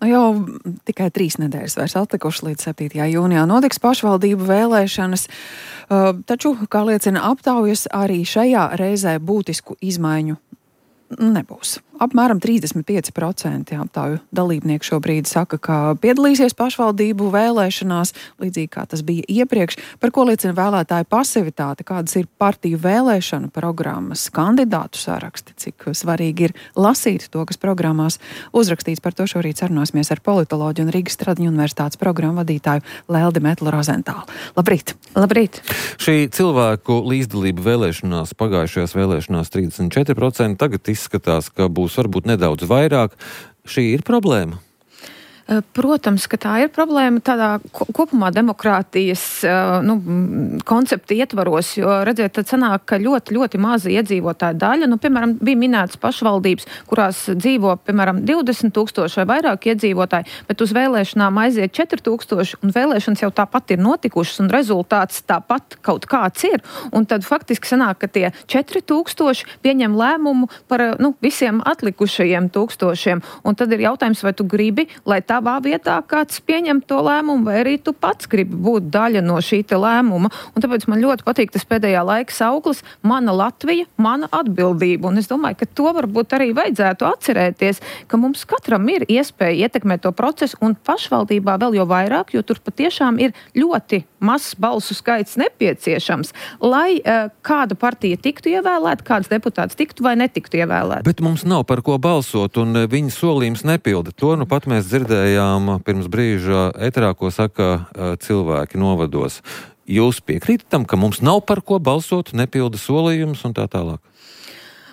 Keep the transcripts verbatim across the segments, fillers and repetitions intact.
Nu jau tikai trīs nedēļas vairs atlikuši līdz septītajā jūnijā notiks pašvaldību vēlēšanas, taču, kā liecina aptaujas, arī šajā reizē būtisku izmaiņu nebūs. Apmēram trīsdesmit pieci procenti aptauju dalībnieku šobrīd saka, ka piedalīsies pašvaldību vēlēšanās, līdzīgi kā tas bija iepriekš, par ko liecina vēlētāju pasivitāte, kādas ir partiju vēlēšanu programmas, kandidātu saraksti, cik svarīgi ir lasīt to, kas programmās uzrakstīts. Par to šorīt sarunāsimies ar politoloģu un Rīgas Stradiņu universitātes programmu vadītāju Leldi Metlu Rozentālu. Labrīt! Labrīt! Šī cilvēku līdzdalība vēlēšanās, pagājušajās vēlēšanās trīsdesmit četri procenti, tagad izskatās, ka būs varbūt nedaudz vairāk. Šī ir problēma? Protams, ka tā ir problēma tādā kopumā demokrātijas nu, koncepta ietvaros, jo, redziet, tad sanāk, ka ļoti, ļoti maza iedzīvotāja daļa, nu, piemēram, bija minētas pašvaldības, kurās dzīvo, piemēram, divdesmit tūkstoši vai vairāk iedzīvotāji, bet uz vēlēšanām aiziet četri tūkstoši, un vēlēšanas jau tāpat ir notikušas, un rezultāts tāpat kaut kāds ir, un tad faktiski sanāk, ka tie četri tūkstoši pieņem lēmumu par, nu, visiem atlikušajiem tūkstošiem, un tad ir jautājums, vai tu gribi, lai tā tavā vietā kāds pieņem to lēmumu, vai arī tu pats gribi būt daļa no šī te lēmuma. Un tāpēc man ļoti patīk tas pēdējā laika sauklis Mana Latvija, mana atbildība. Un es domāju, ka to varbūt arī vajadzētu atcerēties, ka mums katram ir iespēja ietekmēt to procesu, un pašvaldībā vēl jau vairāk, jo tur patiešām ir ļoti mazs balsu skaits nepieciešams, lai uh, kāda partija tiktu ievēlēta, kāds deputāts tiktu vai netiktu ievēlēta. Bet mums nav par ko balsot, un viņa solījums nepilda. To nu pat mēs dzirdējām pirms brīža eterā, ko saka uh, cilvēki novados. Jūs piekrītat tam, ka mums nav par ko balsot, nepilda solījumus un tā tālāk?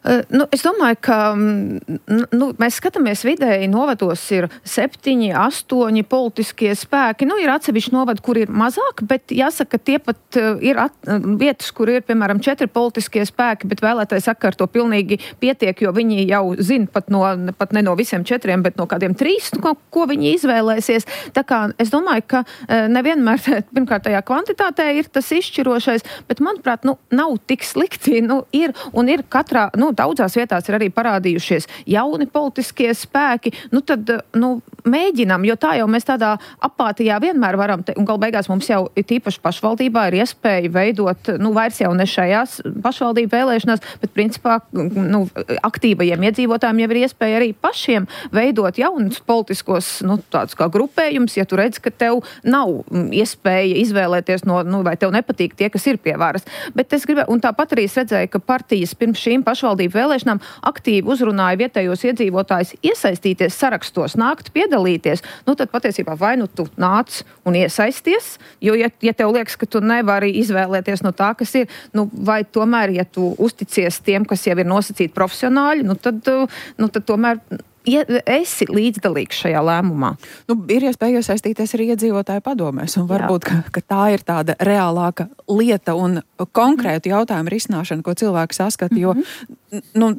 Uh, nu, es domāju, ka nu, mēs skatāmies vidēji, novados ir septiņi, astoņi politiskie spēki. Nu, ir atsevišķi novadi, kur ir mazāk, bet jāsaka, ka tie pat uh, ir at, uh, vietas, kur ir, piemēram, četri politiskie spēki, bet vēlētāji saka, ar to pilnīgi pietiek, jo viņi jau zina pat, no, pat ne no visiem četriem, bet no kādiem trīs, ko, ko viņi izvēlēsies. Tā kā es domāju, ka uh, nevienmēr, pirmkārt, tajā kvantitātē ir tas izšķirošais, bet, manuprāt, nu, nav tik slikti. Nu, ir un ir katrā, nu, daudzās vietās ir arī parādījušies jauni politiskie spēki, nu tad, nu, mēģinam, jo tā jau mēs tādā apātijā vienmēr varam, te, un gal beigās mums jau tīpaši pašvaldībā ir iespēja veidot, nu, vairs jau ne šajās pašvaldību vēlēšanās, bet principā, nu, aktīvajiem iedzīvotājiem jau ir iespēja arī pašiem veidot jaunus politiskos, nu, tādus kā grupējums, ja tu redz, ka tev nav iespēja izvēlēties no, nu, vai tev nepatīk tie, kas ir pie varas. Bet es gribēju, un tāpat arī es redzēju, ka partijas pirms šīm pašvaldību vēlēšanām aktīvi uzrunāja vietējos iedzīvotājus iesaistīties sarakstos, nākt piedalīties. Nu, tad patiesībā vai nu tu nāc un iesaisties, jo, ja, ja tev liekas, ka tu nevari izvēlēties no tā, kas ir, nu, vai tomēr, ja tu uzticies tiem, kas jau ir nosacīti profesionāļi, nu, tad, nu, tad tomēr ja esi līdzdalīgs šajā lēmumā. Nu, ir iespēja iesaistīties arī iedzīvotāju padomēs, un varbūt, ka, ka tā ir tāda reālāka lieta un konkrētu jautājumu risināšana, ko cilvēki saskata, jo mm-hmm. nu,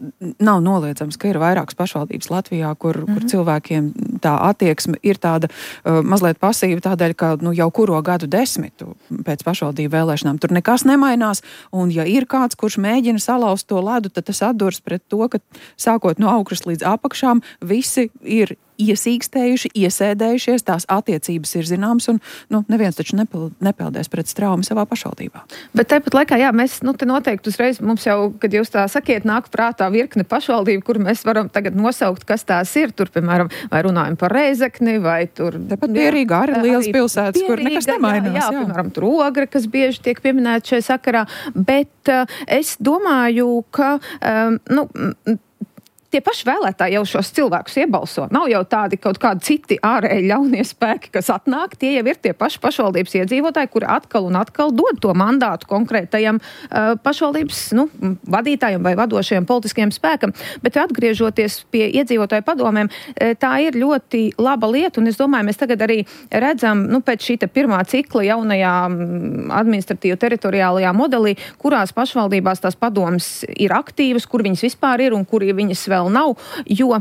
nav noliedzams, ka ir vairākas pašvaldības Latvijā, kur, mm-hmm. kur cilvēkiem tā attieksme ir tāda uh, mazliet pasīva, tādēļ, ka nu, jau kuro gadu desmitu pēc pašvaldību vēlēšanām tur nekas nemainās, un ja ir kāds, kurš mēģina salauzt to ledu, tad tas atdurs pret to, ka sākot no augšas līdz apakšām, visi ir iesīkstējuši, iesēdējušies, tās attiecības ir zināmas, un nu, neviens taču nepeld, nepeldēs pret straumi savā pašvaldībā. Bet tāpat laikā, jā, mēs nu, te noteikti uzreiz, mums jau, kad jūs tā sakiet, nāk prātā virkne pašvaldību, kur mēs varam tagad nosaukt, kas tās ir. Tur, piemēram, vai runājam par Rēzekni, vai tur... Tepat Pierīga arī liels pilsētas, Pierīga, kur nekas nemainās. Jā, jā, jā, piemēram, tur Ogre, kas bieži tiek pieminēta šajā sakarā, bet uh, es domāju, ka, um, nu, tie paši vēlētāji jau šos cilvēkus iebalso. Nav jau tādi kaut kādi citi ārēji ļaunie spēki, kas atnāk. Tie jau ir tie paši pašvaldības iedzīvotāji, kuri atkal un atkal dod to mandātu konkrētajam uh, pašvaldības nu, vadītājiem vai vadošajam politiskajam spēkam. Bet atgriežoties pie iedzīvotāju padomēm, tā ir ļoti laba lieta, un es domāju, mēs tagad arī redzam, nu, pēc šī pirmā cikla jaunajā administratīvu teritoriālajā modelī, kurās pašvaldībās tās padomas ir aktīvas, kur viņas vispār ir un kur viņas vēl vēl nav, jo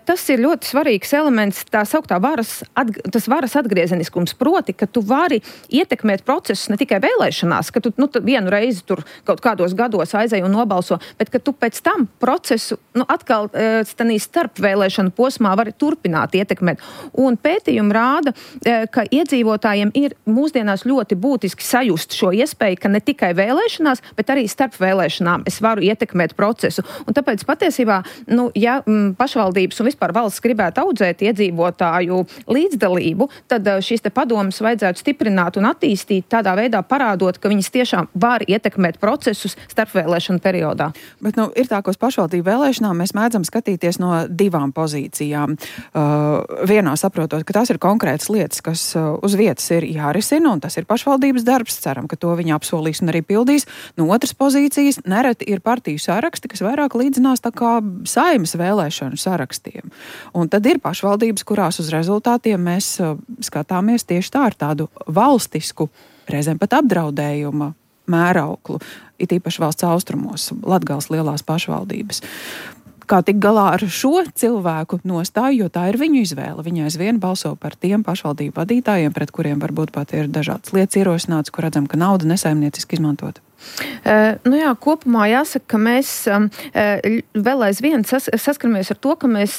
tas ir ļoti svarīgs elements, tā sauktā varas, atg- tas varas atgriezeniskums, proti, ka tu vari ietekmēt procesus ne tikai vēlēšanās, ka tu nu, vienu reizi tur kaut kādos gados aizēji un nobalso, bet ka tu pēc tam procesu nu, atkal stanī starp vēlēšanu posmā vari turpināt ietekmēt. Un pētījumi rāda, ka iedzīvotājiem ir mūsdienās ļoti būtiski sajust šo iespēju, ka ne tikai vēlēšanās, bet arī starp vēlēšanām es varu ietekmēt procesu. Un tāpēc patiesībā, nu, ja m, pašvaldības un vispār valsts gribētu audzēt iedzīvotāju līdzdalību, tad šīs te padomas vajadzētu stiprināt un attīstīt tādā veidā parādot, ka viņas tiešām var ietekmēt procesus starpvēlēšanu periodā. Bet, nu, ir tā, ka uz pašvaldību vēlēšanām mēs mēdzam skatīties no divām pozīcijām. Uh, vienā saprotot, ka tās ir konkrētas lietas, kas uh, uz vietas ir jārisina, un tas ir pašvaldības darbs. Ceram, ka to viņi apsolīs un arī pildīs. No otras pozīcijas nereti ir partiju saraksti, kas vairāk līdzinās tā kā Saeimas vēlēšanu sarakstiem. Un tad ir pašvaldības, kurās uz rezultātiem mēs uh, skatāmies tieši tā ar tādu valstisku, reizēm pat apdraudējuma mērauklu, it īpaši valsts austrumos, Latgales lielās pašvaldības. Kā tik galā ar šo cilvēku nostāju, jo tā ir viņu izvēle. Viņa aizvien balso par tiem pašvaldību vadītājiem, pret kuriem varbūt pat ir dažādas lietas ierosināts, kur redzam, ka nauda nesaimnieciski izmantota. Uh, nu jā, kopumā jāsaka, ka mēs um, vēl aizvien sas, saskaramies ar to, ka mēs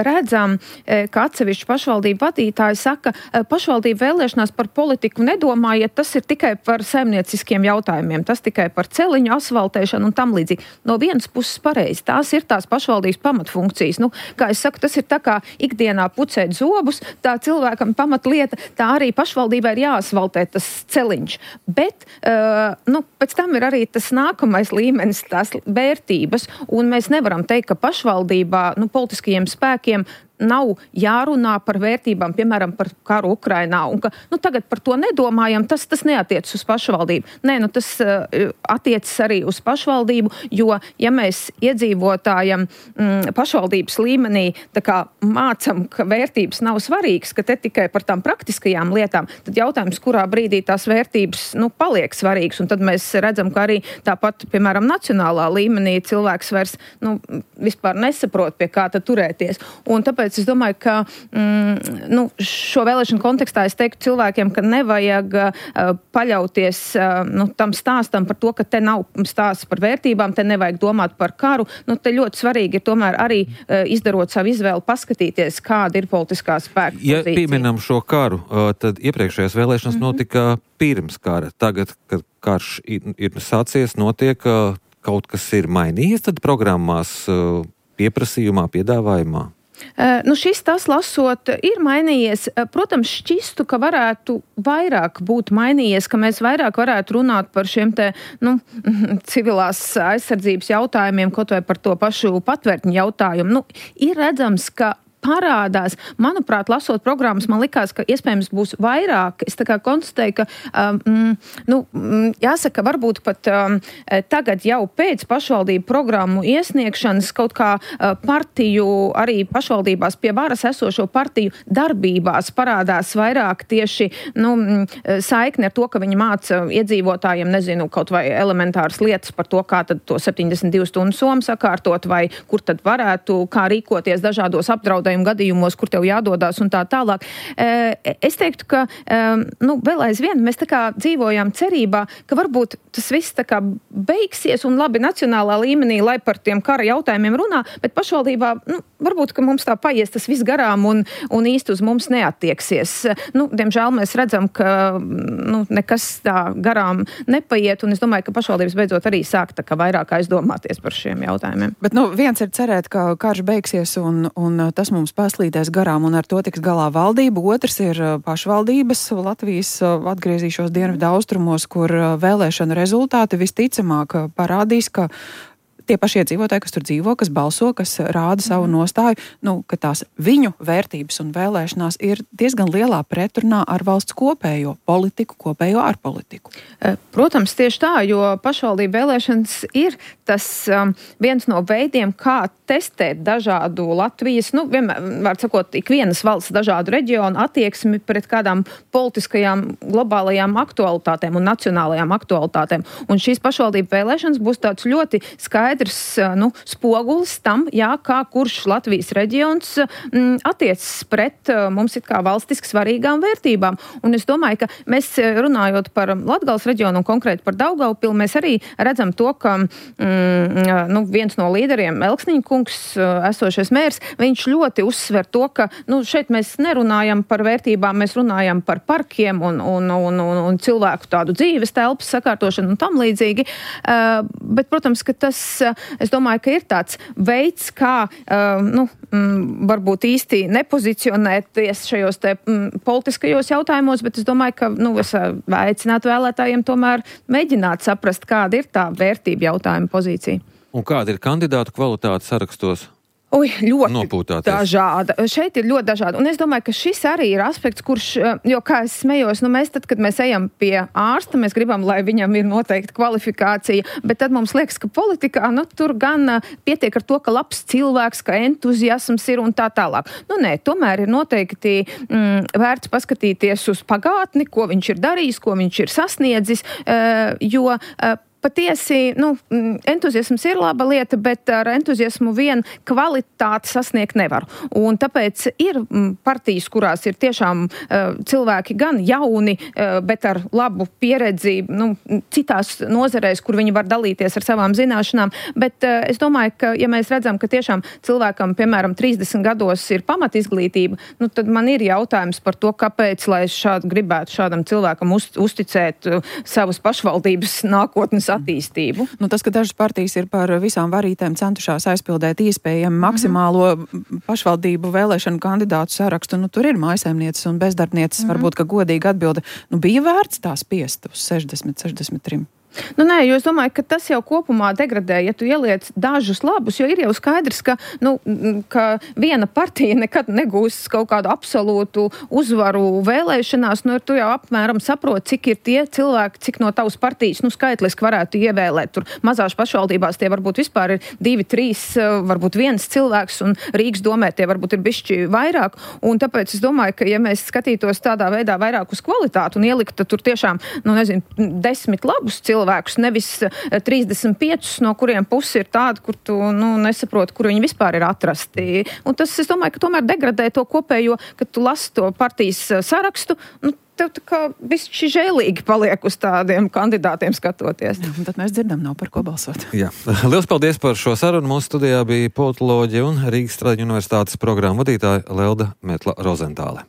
redzam, ka atsevišķi pašvaldību vadītāji saka, pašvaldību vēlēšanās par politiku nedomājiet, tas ir tikai par saimnieciskiem jautājumiem, tas tikai par celiņu, asfaltēšanu un tam līdzīgi. No vienas puses pareizi, tās ir tās pašvaldības pamatfunkcijas. Nu, kā es saku, tas ir tā kā ikdienā pucēt zobus, tā cilvēkam pamatlieta, tā arī pašvaldībai ir jāasfaltē tas celiņš. Bet, uh, nu, pēc tam ir arī tas nākamais līmenis, tās vērtības, un mēs nevaram teikt, ka pašvaldībā, nu, politiskajiem spēkiem nav jārunā par vērtībām, piemēram, par karu Ukrainā, un ka, nu, tagad par to nedomājam, tas, tas neatiecas uz pašvaldību. Nē, nu, tas uh, attiecas arī uz pašvaldību, jo, ja mēs iedzīvotājam mm, pašvaldības līmenī tā kā mācam, ka vērtības nav svarīgas, ka te tikai par tām praktiskajām lietām, tad jautājums, kurā brīdī tās vērtības, nu, paliek svarīgas, un tad mēs redzam, ka arī tāpat, piemēram, nacionālā līmenī cilvēks vairs, nu, vispār nesaprot, pie kā tad turēties. Un tāpēc es domāju, ka mm, nu, šo vēlēšanu kontekstā es teiktu cilvēkiem, ka nevajag uh, paļauties uh, nu, tam stāstam par to, ka te nav stāsts par vērtībām, te nevajag domāt par karu. Nu, te ļoti svarīgi ir tomēr arī uh, izdarot savu izvēli, paskatīties, kāda ir politiskā spēka ja pozīcija. Pieminam šo karu, uh, tad iepriekšējās vēlēšanas mm-hmm. notika pirms kara. Tagad, kad karš ir, ir sācies, notiek, uh, kaut kas ir mainījies tad programmās, uh, pieprasījumā, piedāvājumā? Uh, nu šis tas lasot ir mainījies. Uh, protams, šķistu, ka varētu vairāk būt mainījies, ka mēs vairāk varētu runāt par šiem te, nu, civilās aizsardzības jautājumiem, kaut vai par to pašu patvērtņu jautājumu. Nu, ir redzams, ka parādās. Manuprāt, lasot programmas, man likās, ka iespējams būs vairāk. Es tā kā konstatēju, ka, um, nu, jāsaka, varbūt pat um, tagad jau pēc pašvaldību programmu iesniegšanas kaut kā uh, partiju, arī pašvaldībās pie varas esošo partiju darbībās parādās vairāk tieši, nu, saikni ar to, ka viņi māca iedzīvotājiem, nezinu, kaut vai elementāras lietas par to, kā tad to septiņdesmit divu stundu somu sakārtot, vai kur tad varētu, kā rīkoties dažādos apdraudējumu gadījumos, kur tev jādodās un tā tālāk. Es teiktu, ka nu, vēl aizvien mēs tā kā dzīvojām cerībā, ka varbūt tas viss tā kā beigsies un labi nacionālā līmenī, lai par tiem kara jautājumiem runā, bet pašvaldībā, nu, varbūt, ka mums tā paies tas viss garām un, un īsti uz mums neattieksies. Nu, diemžēl mēs redzam, ka nu, nekas tā garām nepaiet, un es domāju, ka pašvaldības beidzot arī sāk tā kā vairāk aizdomāties par šiem jautājumiem. Bet, nu, viens ir cerēt, ka karš beigsies un, un tas mums paslīdēs garām un ar to tiks galā valdība. Otrs ir pašvaldības. Latvijas atgriezīšos dienvidu austrumos, kur vēlēšana rezultāti visticamāk parādīs, ka tie paši iedzīvotāji, kas tur dzīvo, kas balso, kas rāda savu nostāju, nu, ka tās viņu vērtības un vēlēšanās ir diezgan lielā pretrunā ar valsts kopējo politiku, kopējo ārpolitiku. Protams, tieši tā, jo pašvaldību vēlēšanas ir tas um, viens no veidiem, kā testēt dažādu Latvijas, nu, vienmēr, var sakot, ikvienas valsts dažādu reģionu attieksmi pret kādām politiskajām globālajām aktualitātēm un nacionālajām aktualitātēm. Un šīs pašvaldību vēlēšanas būs tāds ļoti skaidrs skaidrs nu, spogulis tam, jā, kā kurš Latvijas reģions m, attiecas pret mums it kā valstiski svarīgām vērtībām. Un es domāju, ka mēs runājot par Latgales reģionu un konkrēti par Daugavpili, mēs arī redzam to, ka mm, nu, viens no līderiem, Elksniņa kungs, esošais mērs, viņš ļoti uzsver to, ka nu, šeit mēs nerunājam par vērtībām, mēs runājam par parkiem un, un, un, un, un cilvēku tādu dzīves telpas sakārtošanu un tam līdzīgi. Uh, bet, protams, ka tas, es domāju, ka ir tāds veids, kā, uh, nu, mm, varbūt īsti nepozicionēties šajos te mm, politiskajos jautājumos, bet es domāju, ka, nu, es aicinātu vēlētājiem tomēr mēģināt saprast, kāda ir tā vērtība jautājuma pozīcija. Un kāda ir kandidātu kvalitāte sarakstos? Ui, ļoti Nopūtāties. dažāda. Šeit ir ļoti dažāda. Un es domāju, ka šis arī ir aspekts, kurš, jo kā es smējos, nu mēs tad, kad mēs ejam pie ārsta, mēs gribam, lai viņam ir noteikta kvalifikācija, bet tad mums liekas, ka politikā, nu tur gan pietiek ar to, ka labs cilvēks, ka entuziasms ir un tā tālāk. Nu nē, tomēr ir noteikti mm, vērts paskatīties uz pagātni, ko viņš ir darījis, ko viņš ir sasniedzis, uh, jo uh, patiesi, nu, entuziasms ir laba lieta, bet ar entuziasmu vien kvalitāti sasniegt nevar. Un tāpēc ir partijas, kurās ir tiešām uh, cilvēki gan jauni, uh, bet ar labu pieredzi, nu, citās nozarēs, kur viņi var dalīties ar savām zināšanām. Bet uh, es domāju, ka, ja mēs redzam, ka tiešām cilvēkam, piemēram, trīsdesmit gados ir pamatizglītība, nu, tad man ir jautājums par to, kāpēc, lai es šādu gribētu šādam cilvēkam uz, uzticēt uh, savas pašvaldības nākotnes attīstību. Nu, tas, ka dažas partijas ir par visām varītēm centušās aizpildēt iespējami maksimālo mm-hmm. pašvaldību vēlēšanu kandidātu sarakstu, nu, tur ir mājsaimnieces un bezdarbnieces, mm-hmm. varbūt, ka godīgi atbilde, nu, bija vērts tā spiest uz sešdesmit, sešdesmit tri. Nu, nē, jo es domāju, ka tas jau kopumā degradē, ja tu ieliec dažus labus, jo ir jau skaidrs, ka, nu, ka viena partija nekad negūs kaut kādu absolūtu uzvaru vēlēšanās, nu, tu jau apmēram saproti, cik ir tie cilvēki, cik no tavas partijas, nu, skaitliski varētu ievēlēt. Tur mazās pašvaldībās tie varbūt vispār ir divi, trīs, varbūt viens cilvēks, un Rīgas domē tie varbūt ir bišķi vairāk, un tāpēc es domāju, ka, ja mēs skatītos tādā veidā vairāk uz kvalitāti un ieliktu tur tiešām, nu, nezinu, desmit labus cilvēkus, cilvēkus, nevis trīsdesmit piecus, no kuriem pusi ir tāda, kur tu nu, nesaproti, kur viņi vispār ir atrasti. Un tas, es domāju, ka tomēr degradē to kopējo, kad tu lasi to partijas sarakstu, nu, tev tā kā bišķi žēlīgi paliek uz tādiem kandidātiem skatoties. Jā, tad mēs dzirdam, nav par ko balsot. Jā. Liels paldies par šo sarunu. Mūsu studijā bija politoloģija un Rīgas Stradiņu universitātes programmu vadītāja Lelda Metla Rozentāle.